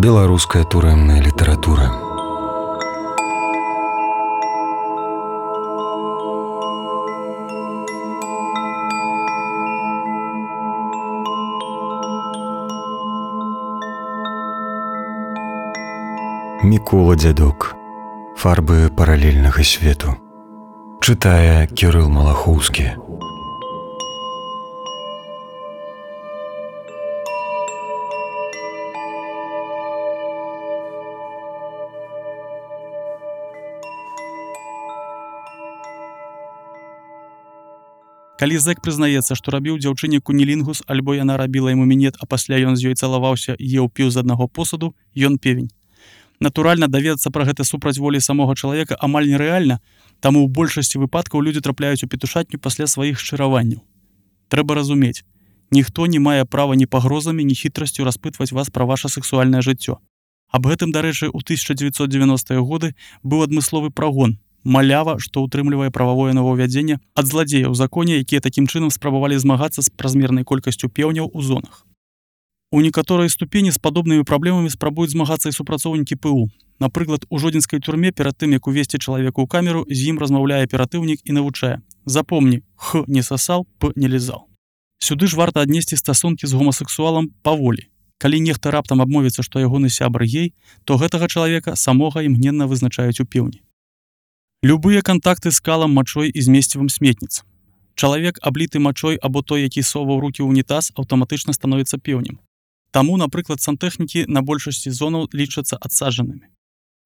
Беларуская турэмная літаратура. Мікола Дзядок. Фарбы паралельнага свету. Чытае Кірыл Малахоўскі. Калі зэк прызнаецца, што рабіў дзяўчыне кунілінгус, альбо яна рабіла яму мінет, а пасля ён з ёй цалаваўся і еў піў з аднаго посуду, ён певень. Натуральна, даведацца пра гэта супраць волі самога чалавека амаль нерэальна, таму ў большасці выпадкаў людзі трапляюць у петушатню пасля сваіх шчыраванняў. Трэба разумець, ніхто не мае права ні пагрозамі, ні хітрасцю распытваць вас пра ваша сексуальнае жыццё. Аб гэтым, дарэчы, у 1990-е годы быў адмысловы прагон, малява, што ўтрымлівае прававое новаўвядзенне ад зладзеяў у законе, якія такім чынам спрабавалі змагацца з празмернай колькасцю пеўняў у зонах. У некаторай ступені з падобнымі праблемамі спрабуюць змагацца і супрацоўнікі ПУ. Напрыклад, у жодзінскай турме перад тым, як увесці чалавеку ў камеру, з ім размаўляе аператыўнік і навучае: запомні, х не сасал, п не лізал. Сюды ж варта аднесці стасункі з гомасексуалам паволі. Калі нехта раптам абмовіцца, што ягоны сябр гей, то гэтага чалавека самога імгненна вызначаюць у пеўні. Любыя кантакты з калам, мачой і змесцівым сметніц. Чалавек, абліты мачой або той, які соваў рукі ў унітаз, аўтаматычна становіцца пеўнем. Таму, напрыклад, сантэхнікі на большасці зонаў лічацца адсаджанымі.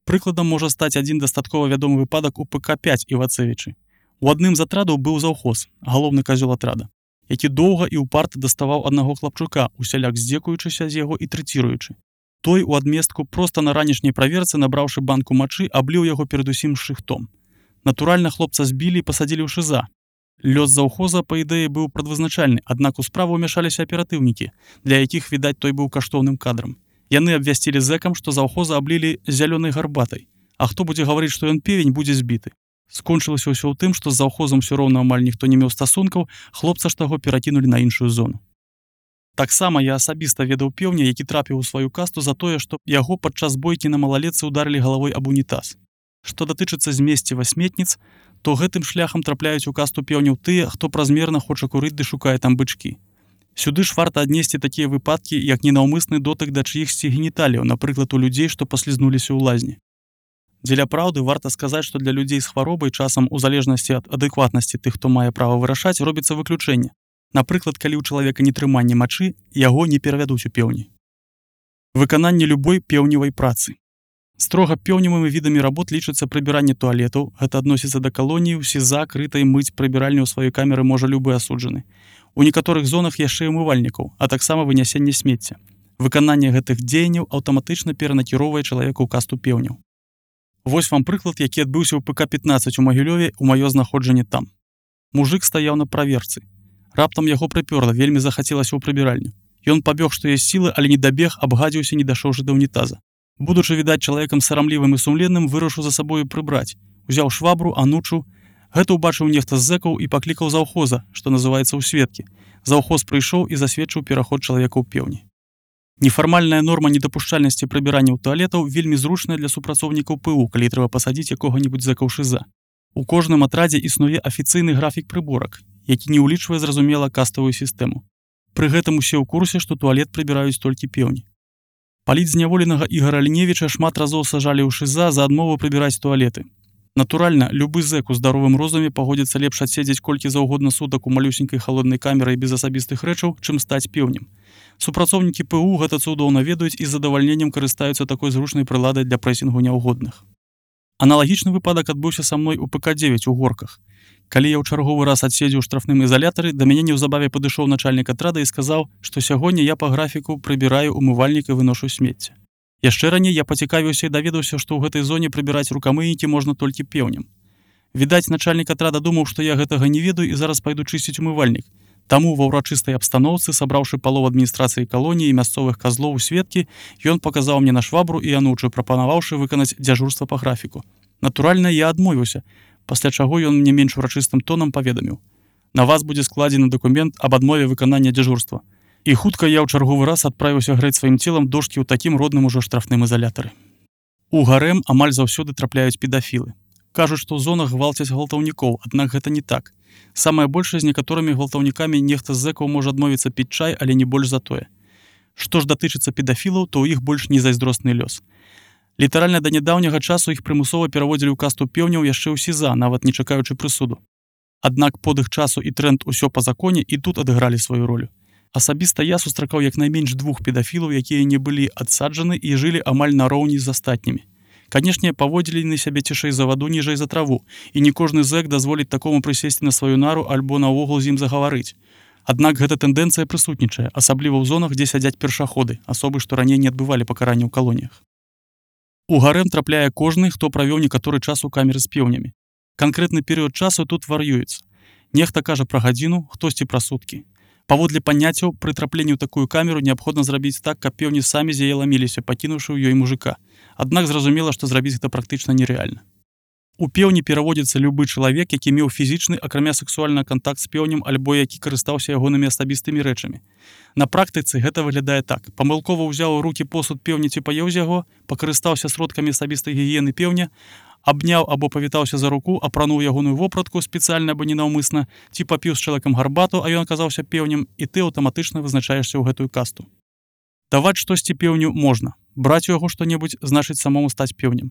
Прыкладам можа стаць адзін дастаткова вядомы выпадак у ПК-5 Івацевічы. У адным з атрадаў быў заўхоз, галоўны казёл атрада, які доўга і ўпарта даставаў аднаго хлапчука, усяляк здзекуючыся з яго і трэціруючы. Той у адместку проста на ранішняй праверцы, набраўшы банку мачы, абліў яго перадусім шыхтом. Натуральна, хлопца збілі і пасадзілі ў шыза. Лёс заўхоза, па ідэі, быў прадвызначальны, аднак у справу ўмяшаліся аператыўнікі, для якіх, відаць, той быў каштоўным кадрам. Яны абвясцілі зэкам, што заўхоза аблілі зялёнай гарбатай, а хто будзе гаварыць, што ён певень, будзе збіты. Скончылася ўсё ў тым, што з заўхозам усё роўна амаль ніхто не меў стасункаў, хлопца ж таго перакінулі на іншую зону. Таксама я асабіста ведаў пеўня, які трапіў у сваю касту за тое, што яго падчас бойкі на малалетцы ўдарылі галавой аб унітаз. Што датычыцца змесціва сметніц, то гэтым шляхам трапляюць у касту пеўняў тыя, хто празмерна хоча курыць ды шукае там бычкі. Сюды ж варта аднесці такія выпадкі, як ненаўмысны дотык да чыихсьці геніталіяў, напрыклад, у людзей, што паслізнуліся ў лазні. Дзеля праўды варта сказаць, што для людзей з хваробай часам у залежнасці ад адэкватнасці тых, хто мае права вырашаць, робіцца выключэнне. Напрыклад, калі ў чалавека нетрыманне мачы, яго не перавядуць у пеўні. Выкананне любой пеўневай працы. Строга пеўневымі відамі работ лічыцца прыбіранне туалетаў, гэта адносіцца да калоніі, СІЗА, крытай, мыць прыбіральню ў сваёй камеры можа любы асуджаны. У некаторых зонах яшчэ і умывальнікаў, а таксама вынясенне смецця. Выкананне гэтых дзеянняў аўтаматычна перанакіроўвае чалавека ў касту пеўняў. Вось вам прыклад, які адбыўся ў ПК-15 у Магілёве, у маё знаходжанне там. Мужык стаяў на праверцы. Раптам яго прыпёрла, вельмі захацелася ў прыбіральню. Ён пабег, што ёсць сілы, але не дабег, абгадзіўся, не дашоўшы да ўнітаза. Будучы, відаць, чалавекам сарамлівым і сумленным, вырашыў за сабою прыбраць. Узяў швабру, анучу. Гэта ўбачыў нехта з зэкаў і паклікаў заўхоза, што называецца ў сведкі. Заўхоз прыйшоў і засведчыў пераход чалавека ў пеўні. Нефармальная норма недапушчальнасці прыбірання ў туалетаў вельмі зручная для супрацоўнікаў ПУ, калі трэба пасадзіць якога-небудзь зэка ў шыза. У кожным атрадзе існуе афіцыйны графік прыборак, які не ўлічвае, зразумела, каставую сістэму. Пры гэтым усе ў курсе, што туалет прыбіраюць толькі пеўні. Палітзняволенага Ігара Ліневіча шмат разоў сажалі ў шыза за адмову прыбіраць туалеты. Натуральна, любы зэк у здаровым розуме пагодзіцца лепш адседзець колькі заўгодна сутак у малюсенькай халоднай камеры без асабістых рэчаў, чым стаць пеўнем. Супрацоўнікі ПУ гэта цудоўна ведаюць і з задавальненнем карыстаюцца такой зручнай прыладай для прэсінгу няўгодных. Аналагічны выпадак адбыўся са мной у ПК-9 у Горках. Калі я ў чарговы раз адседзеў у штрафным ізалятары, да мяне неўзабаве падышоў начальнік атрада і сказаў, што сягоння я па графіку прыбіраю умывальнік і выношу смецце. Яшчэ раней я пацікавіўся і даведаўся, што ў гэтай зоне прыбіраць рукамыйнікі можна толькі пеўнем. Відаць, начальнік атрада думаў, што я гэтага не ведаю і зараз пайду чысціць умывальнік. Таму ва ўрачыстай абстаноўцы, сабраўшы палову адміністрацыі калоніі і мясцовых казлоў у сведкі, ён паказаў мне на швабру і анучу, прапанаваўшы выканаць дзяжурства па графіку. Натуральна, я адмовіўся, пасля чаго ён мне менш урачыстым тонам паведаміў: на вас будзе складзены дакумент аб адмове выканання дзяжурства. І хутка я ў чарговы раз адправіўся грэць сваім целам дошкі ў такім родным ужо штрафным ізалятары. У гарэм амаль заўсёды трапляюць педафілы. Кажуць, што ў зонах гвалцяць гвалтаўнікоў, аднак гэта не так. Самае большае з некаторымі гвалтаўнікамі нехта з зэкаў можа адмовіцца піць чай, але не больш за тое. Што ж датычыцца педафілаў, то ў іх больш незайздросны лёс. Літаральна да нядаўняга часу іх прымусова пераводзілі ў касту пеўняў яшчэ ў СІЗА, нават не чакаючы прысуду. Аднак подых часу і тренд усё па законе і тут адыгралі сваю ролю. Асабіста я сустракаў як найменш 2 педафілаў, якія не былі адсаджаны і жылі амаль нароўні з астатнімі. Канешне, паводзілі на сябе цішэй за ваду, ніжэй за траву, і не кожны зэк дазволіць такому прысесці на сваю нару альбо наогул з ім загаварыць. Аднак гэта тэндэнцыя прысутнічае, асабліва ў зонах, дзе сядзяць першаходы, асобы, што раней не адбывалі пакаранне ў калоніях. У гарэм трапляе кожны, хто правёў некаторы час у камеры з пеўнямі. Канкрэтны перыяд часу тут вар'юецца. Нехта кажа пра гадзіну, хтосьці пра суткі. Паводле паняццяў, пры трапленні ў такую камеру неабходна зрабіць так, каб пеўні самі з яе ламіліся, пакінуўшы ў ёй мужыка. Аднак зразумела, што зрабіць гэта практычна нерэальна. У пеўні пераводзіцца любы чалавек, які меў фізічны, акрамя сексуальны кантакт з пеўнем альбо які карыстаўся ягонымі асабістымі рэчамі. На практыцы гэта выглядае так. Памылкова ўзяў у рукі посуд пеўні ці паеў з яго, пакарыстаўся сродкамі асабістай гігіены пеўня, абняў або павітаўся за руку, апрануў ягоную вопратку спецыяльна або ненаўмысна, ці папіў з чалавекам гарбату, а ён аказаўся пеўнем, і ты аўтаматычна вызначаешся ў гэтую касту. Даваць штосьці пеўню можна. Браць у яго што-небудзь значыць самому стаць пеўнем.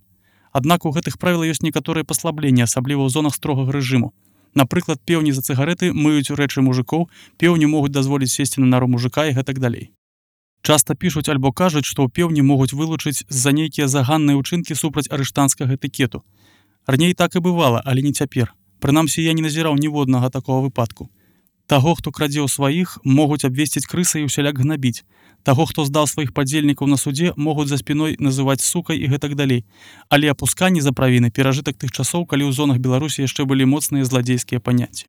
Аднак у гэтых правілах ёсць некаторыя паслабленні, асабліва ў зонах строгага рэжыму. Напрыклад, пеўні за цыгарэты мыюць рэчы мужыкоў, пеўню могуць дазволіць сесці на нару мужыка і гэтак далей. Часта пішуць альбо кажуць, што ў пеўні могуць вылучыць з-за нейкія заганныя ўчынкі супраць арыштанцкага этыкету. Раней так і бывала, але не цяпер. Прынамсі, я не назіраў ніводнага такога выпадку. Таго, хто крадзе ў сваіх, могуць абвесціць крысай і ўсяляк гнабіць. Таго, хто здаў сваіх падзельнікаў на судзе, могуць за спіной называць сукай і гэтак далей. Але апусканне за правіны перажытак тых часоў, калі ў зонах Беларусі яшчэ былі моцныя зладзейскія паняцці.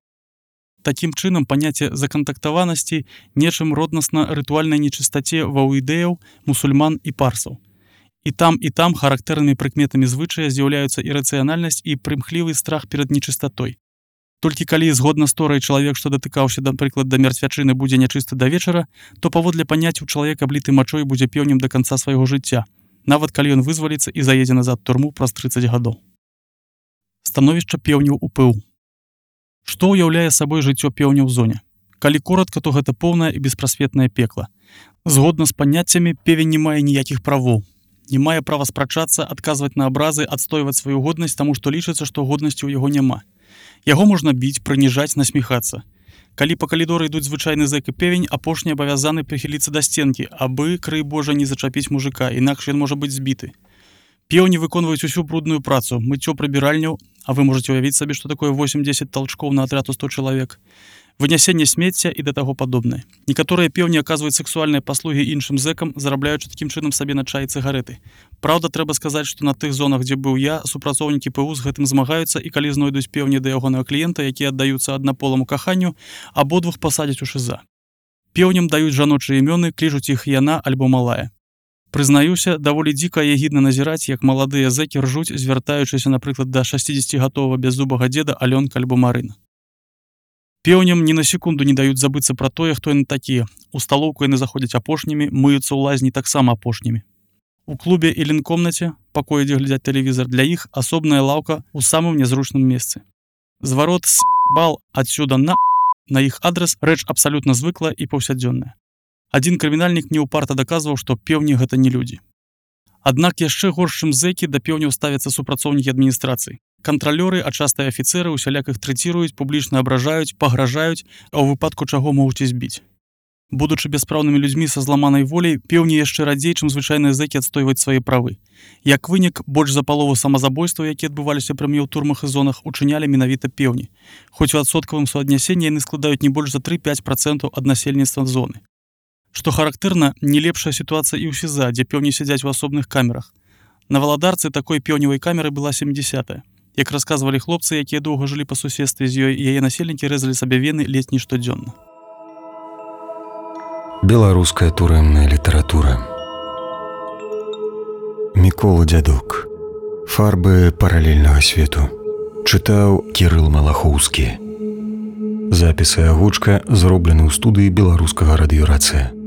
Такім чынам, паняцце закантактаванасці нечым роднасна рытуальнай нечыстаце ваўідэяў, мусульман і парсаў. І там характэрнымі прыкметамі звычая з'яўляюцца ірацыянальнасць і прымхлівы страх перад нечыстатой. Толькі калі згодна з торай чалавек, што датыкаўся, напрыклад, да мярцвячыны, будзе нячысты да вечара, то паводле паняццяў чалавек, абліты мачой, будзе пеўнем да канца свайго жыцця, нават калі ён вызваліцца і заедзе назад турму праз 30 гадоў. Становішча пеўняў у ПУ. Што ўяўляе сабой жыццё пеўня ў зоне? Калі коратка, то гэта поўнае і беспрасветнае пекла. Згодна з паняццямі, певень не мае ніякіх правоў. Не мае права спрачацца, адказваць на абразы, адстойваць сваю годнасць, таму што лічыцца, што годнасці ў яго няма. Яго можна біць, прыніжаць, насміхацца. Калі па калідоры ідуць звычайны зэк і певень, апошні абавязаны прыхіліцца да сценкі, абы, крый Божа, не зачапіць мужыка, інакш ён можа быць збіты. Пеўні выконваюць усю брудную працу, мыццё прыбіральняў, а вы можаце ўявіць сабе, што такое 8-10 талчкоў на атрад у 100 чалавек, вынясенне смецця і да таго падобнае. Некаторыя пеўні аказваюць сексуальныя паслугі іншым зэкам, зарабляючы такім чынам сабе на чай і цыгарэты. Праўда, трэба сказаць, што на тых зонах, дзе быў я, супрацоўнікі ПУ з гэтым змагаюцца, і калі знойдуць пеўні да ягонага кліента, якія аддаюцца аднаполаму каханню, абодвух пасадзяць у ШІЗА. Пеўням даюць жаночыя імёны, клічуць іх яна альбо малая. Прызнаюся, даволі дзіка і агідна назіраць, як маладыя зэкі ржуць, звяртаючыся, напрыклад, да 60-гатовага бяззубага дзеда Алёнка альбо Марына. Пеўням ні на секунду не даюць забыцца пра тое, хто яны такія. У сталоўку яны заходзяць апошнімі, мыюцца ў лазні таксама апошнімі. У клубе і лінкомнаце, пакоі, дзе глядзяць тэлевізар, для іх асобная лаўка ў самым нязручным месцы. Зварот з бал адсюда на іх адрас рэч абсалютна звыклая і паўсядзённая. Адзін крымінальнік неўпарта даказваў, што пеўні гэта не людзі. Аднак яшчэ горш, чым зэкі, да пеўняў ставяцца супрацоўнікі адміністрацыі. Кантралёры, а часта і афіцэры усяляк іх трэціруюць, публічна абражаюць, пагражаюць, а ў выпадку чаго могуць і збіць. Будучы бяспраўнымі людзьмі са зламанай воляй, пеўні яшчэ радзей, чым звычайныя зэкі адстойваць свае правы. Як вынік, больш за палову самазабойстваў, якія адбываліся пры мне ў турмах і зонах, учынялі менавіта пеўні. Хоць у адсоткавым суаднясенні яны складаюць не больш за 3-5% ад насельніцтва зоны. Што характэрна, не лепшая сітуацыя і ў СІЗА, дзе пеўні сядзяць у асобных камерах. На Валадарцы такой пеўневай камеры была 70-я. Як расказвалі хлопцы, якія доўга жылі па суседстве з ёй, яе насельнікі рэзалі сабе вены ледзь не штодзённа. Беларуская турэмная літаратура. Мікола Дзядок. Фарбы паралельнага свету. Чытаў Кірыл Малахоўскі. Запіс і агучка зроблены ў студыі беларускага радыёрацыя.